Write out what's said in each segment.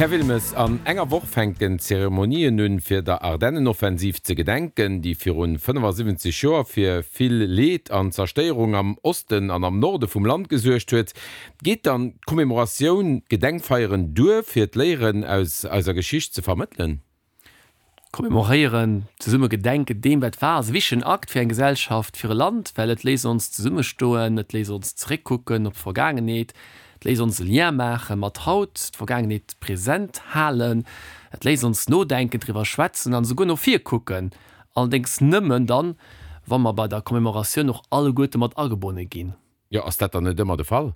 Här Wilmes, an enger Woch fänken d'Zeremonien un, fir der Ardennenoffensiv ze gedenken, déi virun 75 Joer fir vill Leed an Zerstéierung am Osten an am Norde vum Land gesuergt huet. Geet dann d'Commémoratioun, d'Gedenkfeieren duer, fir d'Léieren aus eiser Geschicht ze vermëttelen? Commemoréieren, zesumme gedenken, deem wat war, ass e wichtegen Akt fir eng Gesellschaft, fir e Land, well et léisst ons zesummestoen, et léisst ons zeréckkucken op d'Vergaangenheet, et léisst ons e Lien maache mat haut, d'Vergaangenheet present halen, et léisst ons nodenken, driwwer schwätzen an esouguer no vir kucken, allerdéngs nëmmen dann, wa mer bei der Commemoratioun och alleguerte mat agebonne ginn. Jo, ass dat dann net ëmmer de Fall?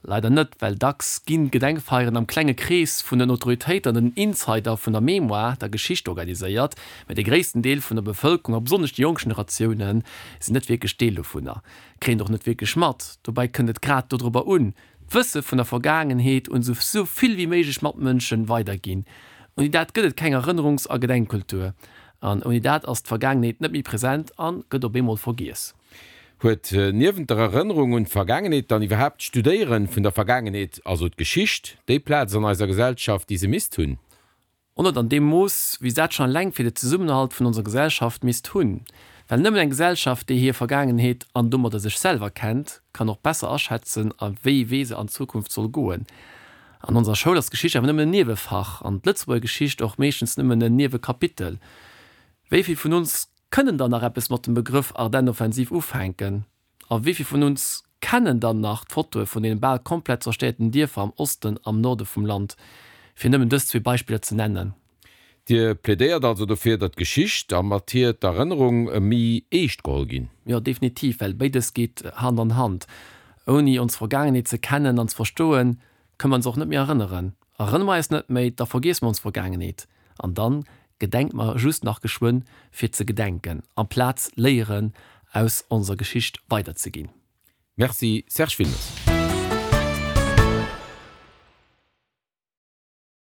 Leider net, well dacks ginn d'Gedenkfeieren am klenge Krees vun den Autoritéiten an den Insider vun der Mémoire, der Geschicht, organiséiert, mä de gréissten Deel vun der Bevëlkerung a besonnesch déi jonk Generatioune sinn net wierklech Deel dovunner, kréien et och net wierklech mat. Dobäi kënnt et grad dodrobber un, d'Wësse vun der Vergaangenheet un esou vill wéi méiglech Matmënsche weiderginn. Ouni dat gëtt et keng Erënnerungs a Gedenkkultur an ouni dat ass d'Vergaangenheet net méi present a gëtt op eemol vergiess. Huet niewent der Erënnerung un d'Vergaangenheet dann iwwerhaapt d'Studéieren vun der Vergaangenheet, also d'Geschicht, déi Plaz an eiser Gesellschaft, déi se misst hunn? Och net an deem Mooss, wéi se dat schonn eleng fir de Zesummenhalt vun onser Gesellschaft misst hunn. Well nëmmen eng Gesellschaft, déi hir Vergaangenheet an domadder sech selwer kennt, kann och besser aschätzen, a wéi ee Wee se an Zukunft soll goen. An onser Schoul ass d'Geschicht awer nëmmen en Niewefach an d'Lëtzebuerger Geschicht och meeschtens nëmmen en Niewekapitel. Wéi vill vun ons Kënnen dann nach eppes mat dem Begrëff Ardennenoffensiv ufänken? A wéi vill vun uns kennen dann nach d'Fotoe vun deene bal komplett zerstéierten Dierfer am Osten, am Norde vum Land, fir nëmmen dës zwee Beispiller ze nennen? Dir plädéiert also dofir, datt d'Geschicht a mat hir d'Erënnerung méi eescht geholl ginn? Jo, definitiv, well béides geet Hand an Hand. Ouni ons Vergaangenheet ze kennen an ze verstoen, kënne mer ons och net méi erënneren. Erënnere mer eis net méi, da vergiesse mer ons Vergaangenheet. An dann gedenkt mer just nach geschwënn fir ze gedenken, amplaz Léieren aus onser Geschicht weiderzeginn. Merci Serge Wilmes.